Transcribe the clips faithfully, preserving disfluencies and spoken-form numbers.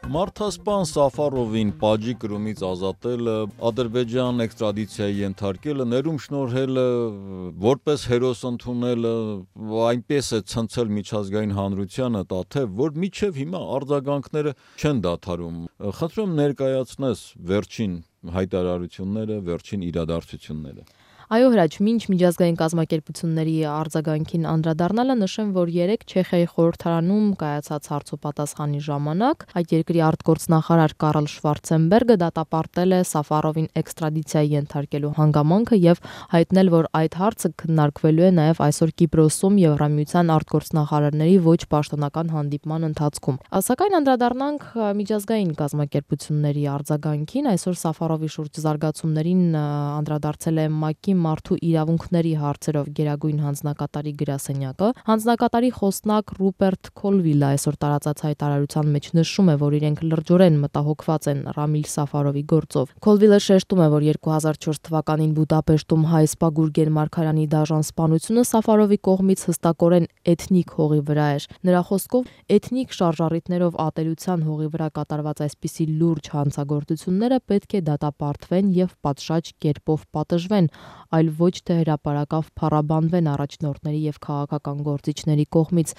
Մարդասպան Սաֆարովին Պաջի կրումից ազատելը, Ադրբեջան էքստրադիցիայի ենթարկելը, ներում շնորհելը, որպես հերոս ընդունելը, այնպես է ցնցել միջազգային հանրությանը, թե որ մինչև հիմա արձագանքները չեն դադարում։ Խնդրում եմ ներկայացնես վերջին հայտարարությունները, վերջին իրադարձությունները։ Այո, Հրաչ, մինչ միջազգային կազմակերպությունների արձագանքին անդրադառնալը նշեմ, որ երեկ Չեխիայի խորհրդարանում կայացած հարցոպատասխանի ժամանակ այդ երկրի արտգործնախարար Կարլ Շվարցենբերգը դատապարտել է Սաֆարովին էքստրադիցիայի ենթարկելու հանգամանքը եւ հայտնել, որ այդ հարցը քննարկվելու է նաեւ այսօր Կիպրոսում Եվրամիության արտգործնախարարների ոչ պաշտոնական հանդիպման ընթացքում։ Սակայն անդրադառնանք միջազգային կազմակերպությունների արձագանքին, այսօր Սաֆարովի շուրջ զարգացումներին անդրադարձել է ՄԱԿ-ի մարդու իրավունքների հարցերով գերագույն հանձնակատարի գրասենյակը։ Հանձնակատարի խոսնակ Ռուպերտ Քոլվիլը այսօր տարածած հայտարարության մեջ նշում է, որ իրենք լրջորեն մտահոգված են Ռամիլ Սաֆարովի գործով։ Քոլվիլը շեշտում է, որ երկու հազար չորս թվականին Բուդապեշտում հայ սպա Գուրգեն Մարգարյանի դաժան սպանությունը Սաֆարովի կողմից հստակորեն էթնիկ հողի վրա էր։ Նրա խոսքով էթնիկ շարժառիթներով ատելության հողի վրա կատարված այսպիսի լուրջ հանցագործությունները պետք է դատապարտվեն եւ պատշաճ կերպով պատժվեն, այլ ոչ թե հրապարակավ փառաբանվեն առաջնորդների եւ քաղաքական գործիչների կողմից,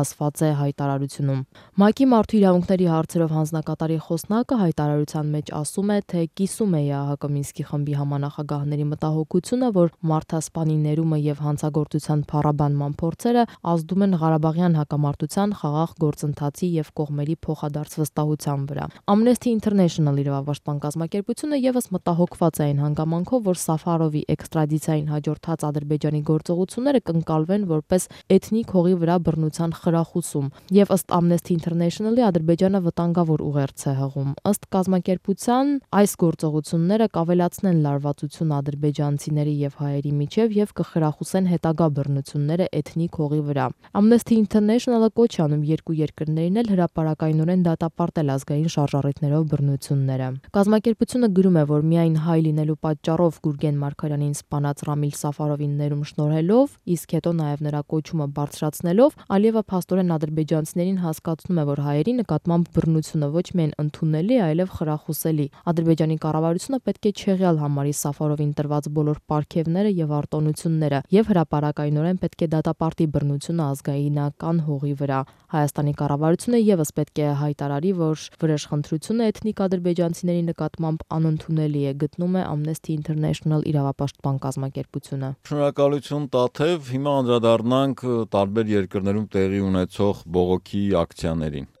ասված է հայտարարությունում։ ՄԱԿ-ի մարդու իրավունքների հարցերով հանձնակատարի խոսնակը հայտարարության մեջ ասում է, թե կիսում է ԵԱՀԿ Մինսկի խմբի համանախագահների մտահոգությունը, որ մարդասպանի ներումը եւ հանցագործության փառաբանման փորձերը ազդում են Ղարաբաղյան հակամարտության խաղաղ գործընթացի եւ կողմերի փոխադարձ վստահության վրա։ Amnesty International իրավապաշտպան կազմակերպությունը եւս մտահոգված է այն հանգամանքով, որ Սաֆարովի էքստրադիցիային հաջորդած Ադրբեջանի գործողությունները կընկալվեն որպես էթնիկ հողի վրա բռնության խրախուսում, եւ ըստ Amnesty International-ի Ադրբեջանը վտանգավոր ուղերձ է հղում։ Ըստ կազմակերպության այս գործողությունները կավելացնեն լարվածությունը ադրբեջանցիների եւ հայերի միջև եւ կխրախուսեն հետագա բռնությունները էթնիկ հողի վրա։ Amnesty International-ը կոչ է անում երկու երկրներին էլ հրապարակայնորեն դատապարտել ազգային շարժառիթներով բռնությունները։ Կազմակերպությունը գրում է, որ միայն հայ լինելու պատճառով Գուրգեն Մարգարյանին սպանած Ռամիլ Սաֆարովին ներում շնորհելով, իսկ հետո նաև նրա կոչումը բարձրացնելով, Ալիևը փաստորեն ադրբեջանցիներին հասկացնում է, որ հայերի նկատմամբ բռնությունը ոչ միայն ընդունելի, այլև խրախուսելի։ Ադրբեջանի կառավարությունը պետք է չեղյալ համարի Սաֆարովին տրված բոլոր պարգևները եւ արտոնությունները եւ հրապարակայնորեն պետք է դատապարտի բռնությունը ազգայինական հողի վրա։ Հայաստանի կառավարությունը եւս պետք է հայտարարի, որ վրեժխնդրությունը էթնիկ ադրբեջանցիների նկատմամբ անընդունելի է, գտնում է Amnesty International իրավապաշտպան կազմակերպությունը։ Շնորհակալություն Տաթև, հիմա անդրադառնանք տարբեր երկրներում տեղի ունեցող բողոքի ակցիաներին։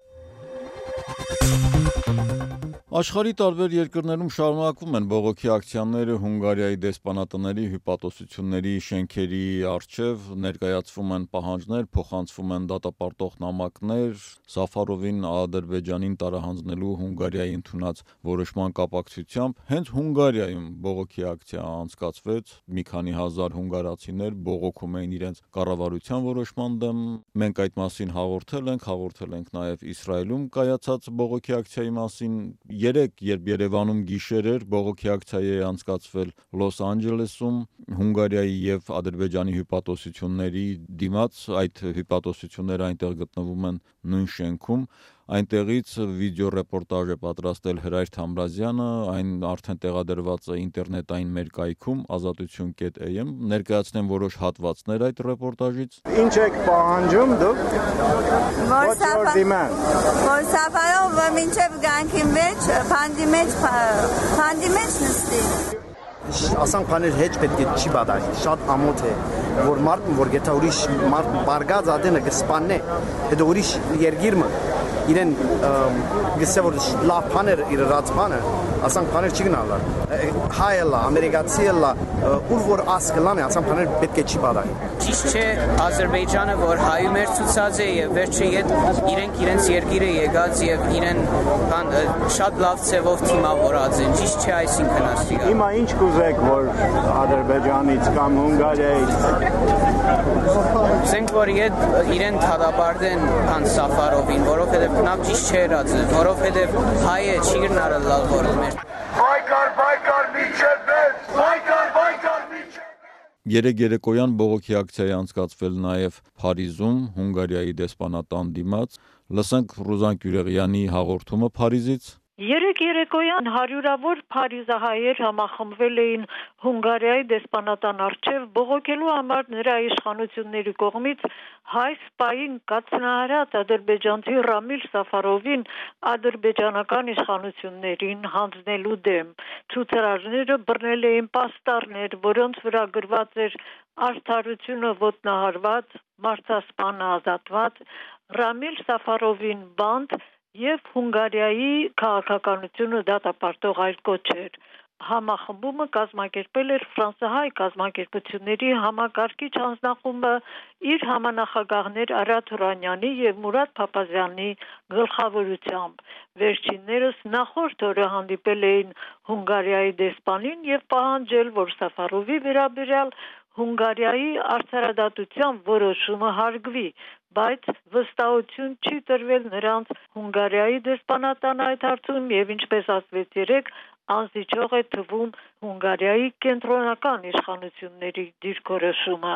Աշխարհի տարբեր երկրներում շարունակվում են բողոքի ակցիաները Հունգարիայի դեսպանատների հյուպատոսությունների շենքերի առջև, ներկայացվում են պահանջներ, փոխանցվում են դատապարտող նամակներ, Սաֆարովին Ադրբեջանին տարահանձնելու Հունգարիայի ընդունած որոշման կապակցությամբ։ Հենց Հունգարիայում բողոքի ակցիա անցկացվեց, մի քանի հազար հունգարացիներ բողոքում էին իրենց կառավարության որոշման դեմ։ Մենք այդ մասին հաղորդել ենք, հաղորդել ենք նաև Իսրայելում կայացած բողոքի ակցիայի մասին։ Երեք, երբ Երևանում գիշեր էր, բողոքի ակցիա է անցկացվել Լոս Անջելեսում, Հունգարիայի եւ Ադրբեջանի հյուպատոսությունների դիմաց, այդ հյուպատոսությունները այնտեղ գտնվում են նույն շենքում։ Այնտեղից վիդեոռեպորտաժ է պատրաստել Հրայր Թամրազյանը, այն արդեն տեղադրված է ինտերնետային մեր կայքում ազատություն կետ A M, ներկայացնեմ որոշ հատվածներ այդ ռեպորտաժից։ Ինչ եք պահանջում դուք? Որ Սաֆարովը մինչև գանքի մեջ, փանդի մեջ, փանդի մեջ նստի։ Ասանք բաներ հեչ պետք է չի բադարի, շատ ամոթ է, որ մարդն, որ գետա ուրիշ մարդ բարգած ադենը կսպաննե, հետո ուրիշ երգիրմը, իրեն գսե որ լավ բաներ իր ռած բանը, ասանք բաներ չի գնալար, հայ էլա, ամերիկացի էլա, ուր որ ասկլան է, ասանք բաներ պետք է չի բադարի։ Ճիշտ չէ Ադրբեջանը, որ հայում էր ցուցած է եւ վերջի հետ իրենք իրենց երգիրը եկած եւ իրեն բան շատ լավ ցևով թիմավորած են, ճիշտ չէ այսինքն ասի։ Հիմա ինչ կուզեք, որ Ադրբեջանից կամ Հունգարիայից Զենք որ իրեն թադապարտեն քան Սաֆարովին, որովհետև նա ճիշտ չէ եղած, որովհետև հայը չի գնալ լավ որ մեր Բայկար, բայկար, միջև մեծ, բայկար, բայկար, միջև Երեկ երեկոյան բողոքի ակցիայի անցկացվել նաև Փարիզում, Հունգարիայի դեսպանատան դիմաց։ Լսենք Ռուզան Կյուրեղյանի հաղորդումը Փարիզից։ Երեկ երեկոյան հարյուրավոր փարիզահայեր համախմբվել էին Հունգարիայի դեսպանատան առջև բողոքելու համար նրա իշխանությունների կողմից հայ սպային կաթնահարած ադրբեջանցի Ռամիլ Սաֆարովին ադրբեջանական իշխանություններին հանձնելու դեմ։ Ցուցարարները բռնել էին պաստառներ, որոնց վրա գրված էր «Արդարությունը ոտնահարված, մարդասպանը ազատված», Ռամիլ Սաֆարովին բանտ և Հունգարիայի քաղաքականությունը դատապարտող այլ կոչեր։ Համախմբումը կազմակերպել էր ֆրանսահայ կազմակերպությունների համակարգիչ հանձնախումբը իր համանախագահներ Արա Թուրանյանի և Մուրադ Փափազյանի գլխավորությամբ։ Վերջիններս նախորդ օրը հանդիպել էին Հունգարիայի դեսպանին և պահանջել, որ Սաֆարովի վերաբերյալ Հունգարիայի արդարադատության որոշումը հարգվի, բայց վստահություն չի տրվել նրանց Հունգարիայի դեսպանատան այդ հարցում և ինչպես ասվեց երեկ, անզիջող է թվում Հունգարիայի կենտրոնական իշխանությունների դիրքորոշումը։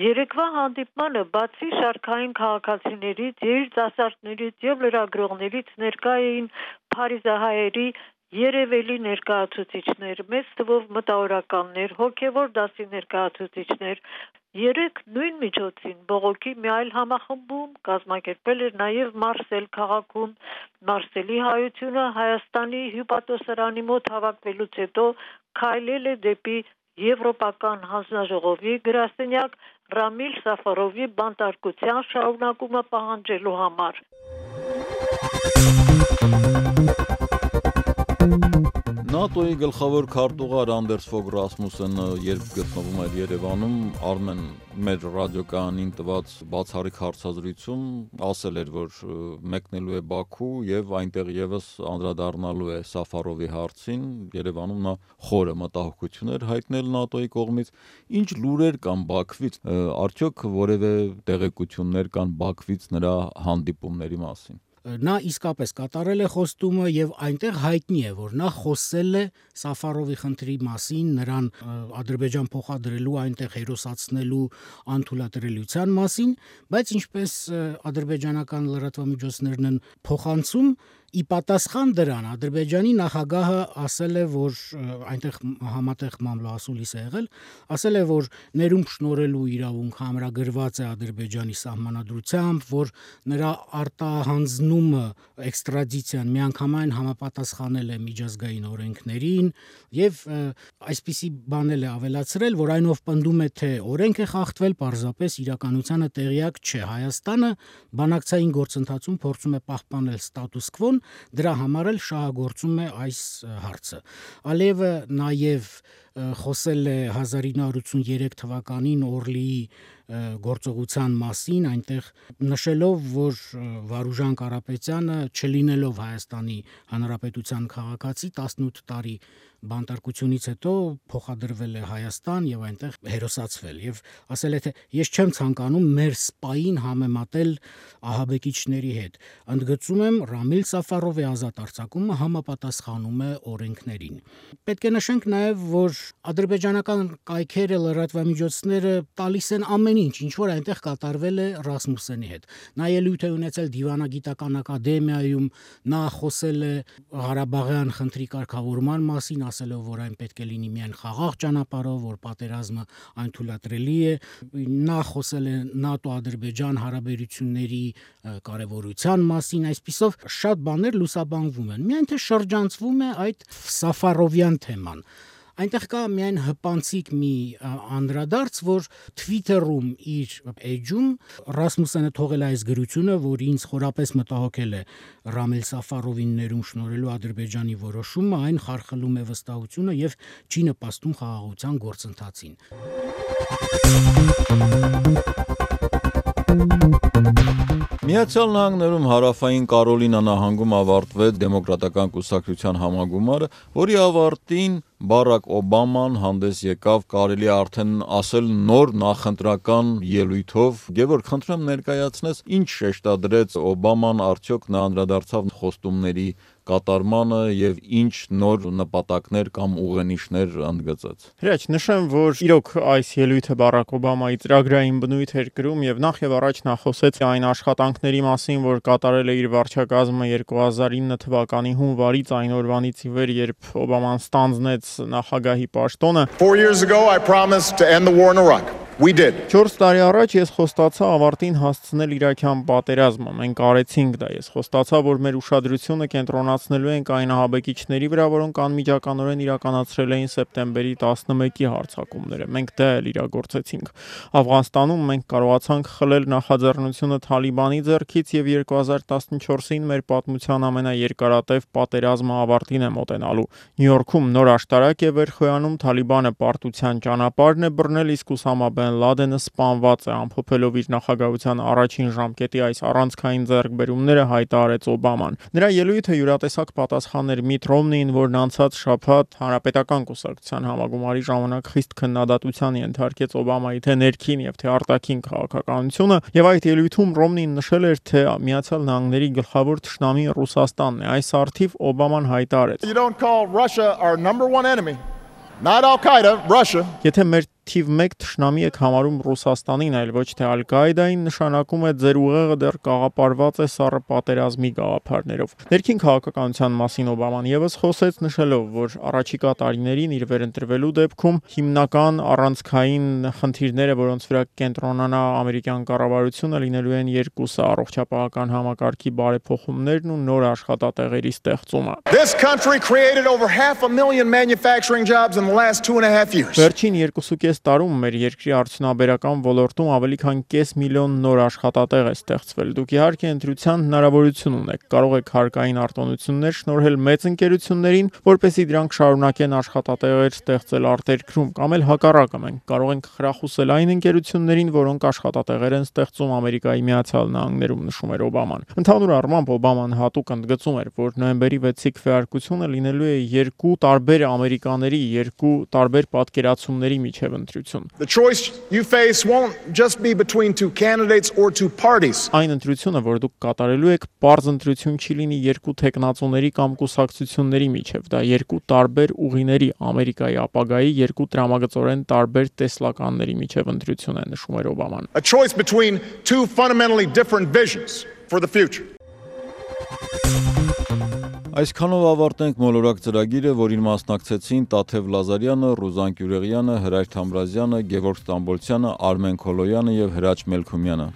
Երեկվա հանդիպմանը բացի շարքային քաղաքացիներից, երիտասարդներից և լրագրողներից ներկա էին փարիզահայերի երևելի ներկայացուցիչներ, մեծ թվով մտավորականներ, հոգևոր դասի ներկայացուցիչներ։ Երեկ նույն միջոցին բողոքի մի այլ համախմբում կազմակերպել էր նաև Մարսել քաղաքում։ Մարսելի հայությունը Հայաստանի հյուպատոսարանի մոտ հավաքվելուց հետո քայլել է դեպի Եվրոպական հանձնաժողովի գրասենյակ Ռամիլ Սաֆարովի բանտարկության շարունակումը պահանջելու համար։ ՆԱՏՕ-ի գլխավոր քարտուղար Անդերս Ֆոգ Ռասմուսենը երբ գտնվում էր Երևանում, Արմեն մեր ռադիոկայանին տված բացառիկ հարցազրույցում ասել էր, որ մեկնելու է Բաքու եւ այնտեղ եւս անդրադառնալու է Սաֆարովի հարցին։ Երևանում նա խորը մտահոգություն էր հայտնել ՆԱՏՕ-ի կողմից։ Ինչ լուրեր կան Բաքվից, արդյոք որևէ տեղեկություններ կան Բաքվից նրա հանդիպումների մասին։ Նա իսկապես կատարել է խոստումը եւ այնտեղ հայտնի է, որ նա խոսել է Սաֆարովի խնդրի մասին, նրան Ադրբեջան փոխադրելու, այնտեղ հերոսացնելու անթույլատրելիության մասին, բայց ինչպես ադրբեջանական լրատվամիջոցներն են փոխանցում, ի պատասխան դրան Ադրբեջանի նախագահը ասել է, որ այնտեղ համատեղ մամլոասուլիս է եղել, ասել է, որ ներում շնորհելու իրավունք համրագրված է Ադրբեջանի սահմանադրությամբ, որ նրա արտահանձնումը, էքստրադիցիան միանգամայն համապատասխանել է միջազգային օրենքներին եւ այսպիսի բանել է ավելացրել, որ այնով պնդում է, թե օրենք է խախտվել, պարզապես իրականությանը տեղյակ չէ։ Հայաստանը բանակցային գործընթացում փորձում է պահպանել ստատուս քվոն, դրա համար էլ շահագործում է այս հարցը։ Ալիևը նաև խոսել է հազար ինը հարյուր ութսուներեք թվականին Օրլիի գործողության մասին, այնտեղ նշելով, որ Վարուժան Կարապետյանը, չլինելով Հայաստանի Հանրապետության քաղաքացի, տասնութ տարի բանտարկությունից հետո փոխադրվել է Հայաստան եւ այնտեղ հերոսացվել եւ ասել է, թե ես չեմ ցանկանում մեր սպային համեմատել ահաբեկիչների հետ։ Ընդգծում եմ, Ռամիլ Սաֆարովի ազատ արձակումը համապատասխանում է օրենքներին։ Պետք է նշենք նաեւ, որ ադրբեջանական կայքերը, լրատվամիջոցները տալիս են ամեն ինչ, ինչ որ այնտեղ կատարվել է Ռասմուսենի հետ։ Նա ելույթ է ունեցել Դիվանագիտական ակադեմիայում, նա խոսել է Ղարաբաղյան խնդրի կարգավորման մասին, ասելով, որ այն պետք է լինի միայն խաղաղ ճանապարհով, որ պատերազմը անթույլատրելի է։ Նա խոսել է ՆԱՏՕ-Ադրբեջան հարաբերությունների կարևորության մասին, այսպիսով շատ բաներ լուսաբանվում են։ Միայն թե շրջանցվում է այդ Սաֆարովյան թեման։ Այնտեղ կա միայն հպանցիկ մի անդրադարձ, որ Twitter-ում իր էջում Ռասմուսենը թողել է այս գրությունը, որ ինձ խորապես մտահոգել է Ռամիլ Սաֆարովին ներում շնորհելու Ադրբեջանի որոշումը, այն խարխլում է վստահությունը եւ չի նպաստում խաղաղության գործընթացին։ Միացյալ Նահանգներում հարավային Կարոլինա նահանգում ավարտվեց դեմոկրատական կուսակցության համագումարը, որի ավարտին Բարակ Օբաման հանդես եկավ, կարելի է արդեն ասել, նոր նախընտրական ելույթով։ Գևորգ, խնդրեմ ներկայացնես, ինչ շեշտադրեց Օբաման, արդյոք նա անդրադարձավ խոստումների կատարմանը եւ ինչ նոր նպատակներ կամ ուղենիշներ ընդգծեց։ Հրաչ, նշեմ, որ իրոք այս ելույթը Բարակ Օբամայի ծրագրային բնույթ էր կրում եւ նախ եւ առաջ նա խոսեց այն աշխատանքների մասին, որ կատարել է իր վարչակազմը երկու հազար ինը թվականի հունվարից, այն օրվանից ի վեր, երբ Օբաման ստանձնեց նախագահի պաշտոնը։ four years ago I promised to end the war in Iraq. We did. Չորս տարի առաջ ես խոստացա ավարտին հասցնել Իրաքյան պատերազմը։ Մենք արեցինք դա։ Ես խոստացա, որ մեր ուշադրությունը կենտրոնացնելու ենք այն ահաբեկիչների վրա, որոնք անմիջականորեն իրականացրել էին սեպտեմբերի տասնմեկի հարձակումները։ Մենք դա էլ իրագործեցինք։ Աֆղանստանում մենք կարողացանք խլել նախաձեռնությունը Թալիբանի ձեռքից եւ երկու հազար տասնչորսին մեր պատմության ամենաերկարատև պատերազմը ավարտին է մոտենալու։ Նյու Յորքում նոր աշտարակ է վերխոյանում, Թալիբանը պարտության ճանապարհն է բռնել, իսկ Ուսամա Բեն Լադենը սպանված է, ամփոփելով իր նախագահության առաջին ժամկետի այս առանցքային ձեռքբերումները հայտարարեց Օբաման։ Նրա ելույթը յուրատեսակ պատասխան էր Միթ Ռոմնիին, որն անցած շաբաթ Հանրապետական կուսակցության համագումարի ժամանակ խիստ քննադատության ենթարկեց Օբամայի թե ներքին եւ թե արտաքին քաղաքականությունը, եւ այդ ելույթում Ռոմնին նշել էր, թե Միացյալ Նահանգների գլխավոր թշնամի Ռուսաստանն է։ Այս արդիվ Օբաման հայտարարեց. You don't call Russia our number one enemy. Not Al-Qaeda, Russia. Եթե մեր թիվ մեկ թշնամի եք համարում Ռուսաստանին, այլ ոչ թե Ալ-Կաիդային, նշանակում է ձեր ուղեղը դեռ կաղապարված է սառը պատերազմի գաղափարներով։ Ներքին քաղաքականության մասին Օբաման եւս խոսեց, նշելով, որ առաջիկա տարիներին իր վերընտրվելու դեպքում հիմնական առանցքային խնդիրները, որոնց վրա կենտրոնանա ամերիկյան կառավարությունը, լինելու են երկուսը՝ առողջապահական համակարգի բարեփոխումներն ու նոր աշխատատեղերի ստեղծումը։ This country created over half a million manufacturing jobs in the last two and a half years. Վերջին երկուսուկես տարում մեր երկրի արդյունաբերական ոլորտում ավելի քան կես միլիոն նոր աշխատատեղ է ստեղծվել։ Դուք իհարկե ընտրության հնարավորություն ունեք, կարող եք հարկային արտոնություններ շնորհել մեծ ընկերություններին, որպեսզի դրանք շարունակեն աշխատատեղեր ստեղծել արտերկրում, կամ էլ հակառակը, մենք կարող ենք խրախուսել այն ընկերություններին, որոնք աշխատատեղեր են ստեղծում Ամերիկայի Միացյալ Նահանգներում, նշում էր Օբաման։ Ընդհանուր առմամբ Օբաման հատուկ ընդգծում էր, որ նոյեմբերի վեցի քվեարկությունը լինելու է երկու տարբեր ամերիկաների, երկու տարբեր պատկերացումների միջև ընտրություն։ The choice you face won't just be between two candidates or two parties. Այն ընտրությունը, որ դուք կատարելու եք, պարզ ընտրություն չի լինի երկու տեխնացուների կամ կուսակցությունների միջև, դա երկու տարբեր ուղիների, Ամերիկայի ապագայի երկու տրամագծորեն տարբեր տեսլականների միջև ընտրություն է, նշում էր Օբաման։ A choice between two fundamentally different visions for the future. Այսքանով ավարտենք մոլորակ ծրագիրը, որին մասնակցեցին Տաթև Լազարյանը, Ռուզան Գյուրեղյանը, Հրայր Թամրազյանը, Գևորգ Ստամբոլցյանը, Արմեն Քոլոյանը եւ Հրաչ Մելքումյանը։